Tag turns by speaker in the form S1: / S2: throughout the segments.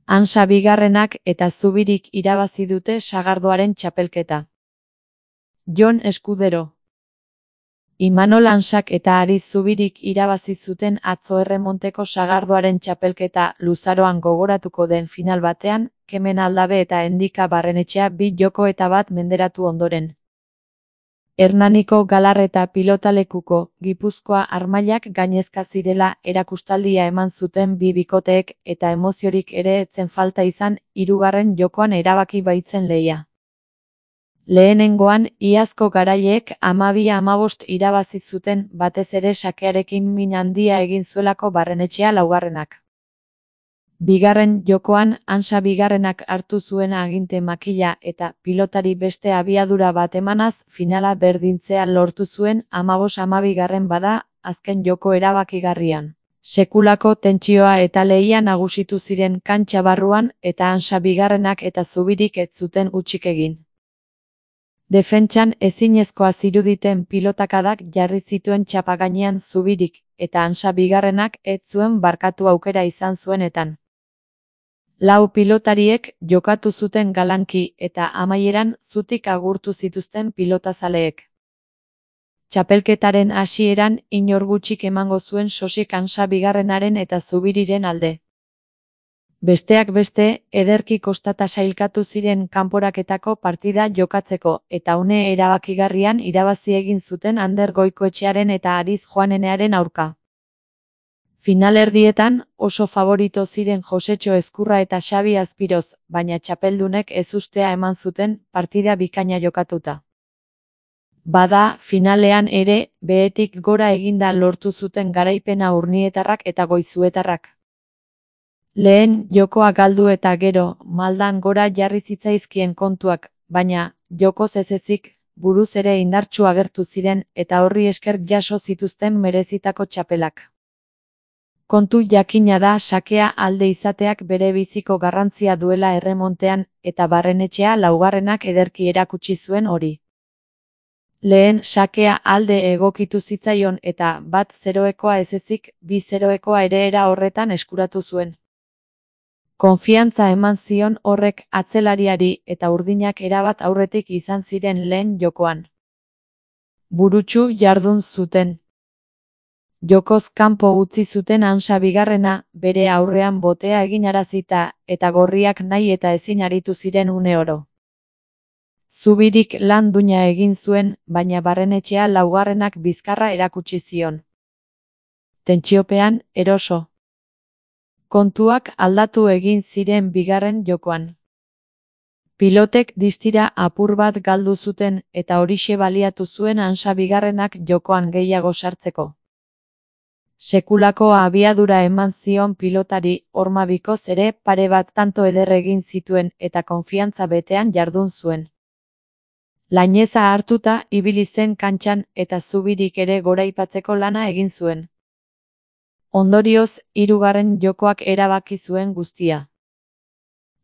S1: Ansa bigarrenak eta Zubirik irabazi dute sagardoaren txapelketa. Jon Eskudero. Imanol Ansak eta Ariz Zubirik irabazi zuten atzo erremonteko sagardoaren txapelketa luzaroan gogoratuko den final batean, Kemen Aldabe eta Endika Barrenetxea 2 joko eta 1 menderatu ondoren. Hernaniko Galarreta pilotalekuko Gipuzkoa Armailak gainezka zirela erakustaldia eman zuten 2 bikoteek eta emoziorik ere etzen falta izan 3. jokoan erabaki baitzen lehia. Lehenengoan, iazko garaileek 12-15 irabazi zuten batez ere sakearekin min handia egin zuelako Barrenetxea laugarrenak. Bigarren jokoan, Ansa bigarrenak hartu zuen aginte makila eta pilotari beste abiadura bat emanaz finala berdintzea lortu zuen 15-12 bada azken joko erabakigarrian. Sekulako tentsioa eta lehia nagusitu ziren kantxa barruan eta Ansa bigarrenak eta Zubirik ez zuten hutsik egin. Defentsan ezinezkoa ziruditen pilotakadak jarri zituen txapa gainean Zubirik eta Ansa bigarrenak ez zuen barkatu aukera izan zuenetan. 4 pilotariek jokatu zuten galanki eta amaieran zutik agurtu zituzten pilotazaleek. Txapelketaren hasieran inor gutxik emango zuen sosik Ansa bigarrenaren eta Zubiriren alde. Besteak beste, ederki kostata sailkatu ziren kanporaketako partida jokatzeko eta une erabakigarrian irabazi egin zuten Ander Goikoetxearen eta Ariz Joanenearen aurka. Finalerdietan oso favorito ziren Josetxo Ezkurra eta Xabi Azpiroz, baina txapeldunek ezustea eman zuten partida bikaina jokatuta. Bada, finalean ere, behetik gora eginda lortu zuten garaipena urnietarrak eta goizuetarrak. Lehen jokoa galdu eta gero, maldan gora jarri zitzaizkien kontuak, baina, jokoz ez ezik, buruz ere indartsu agertu ziren eta horri esker jaso zituzten merezitako txapelak. Kontu jakina da sakea alde izateak bere biziko garrantzia duela erremontean eta Barrenetxea laugarrenak ederki erakutsi zuen hori. Lehen sakea alde egokitu zitzaion eta 1-0 ez ezik 2-0 ere era horretan eskuratu zuen. Konfiantza eman zion horrek atzelariari eta urdinak erabat aurretik izan ziren lehen jokoan. Burutsu jardun zuten. Jokoz kanpo utzi zuten Ansa bigarrena, bere aurrean botea eginarazita eta gorriak nahi eta ezin aritu ziren une oro. Zubirik lan duina egin zuen, baina Barrenetxea laugarrenak bizkarra erakutsi zion. Tentsiopean, eroso. Kontuak aldatu egin ziren bigarren jokoan. Pilotek distira apur bat galdu zuten eta horixe baliatu zuen Ansa bigarrenak jokoan gehiago sartzeko. Sekulako abiadura eman zion pilotari, horma bikoz ere pare bat tanto eder egin zituen eta konfiantza betean jardun zuen. Laineza hartuta ibili zen kantxan eta Zubirik ere goraipatzeko lana egin zuen. Ondorioz, 3. jokoak erabaki zuen guztia.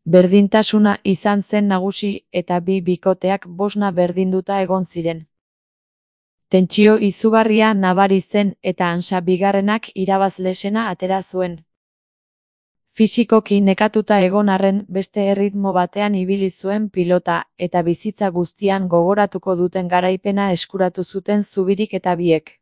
S1: Berdintasuna izan zen nagusi eta 2 bikoteak bosna berdinduta egon ziren. Tentsio izugarria nabari zen eta Ansa bigarrenak irabazlesena atera zuen. Fisikoki nekatuta egon arren beste erritmo batean ibili zuen pilota eta bizitza guztian gogoratuko duten garaipena eskuratu zuten Zubirik eta biek.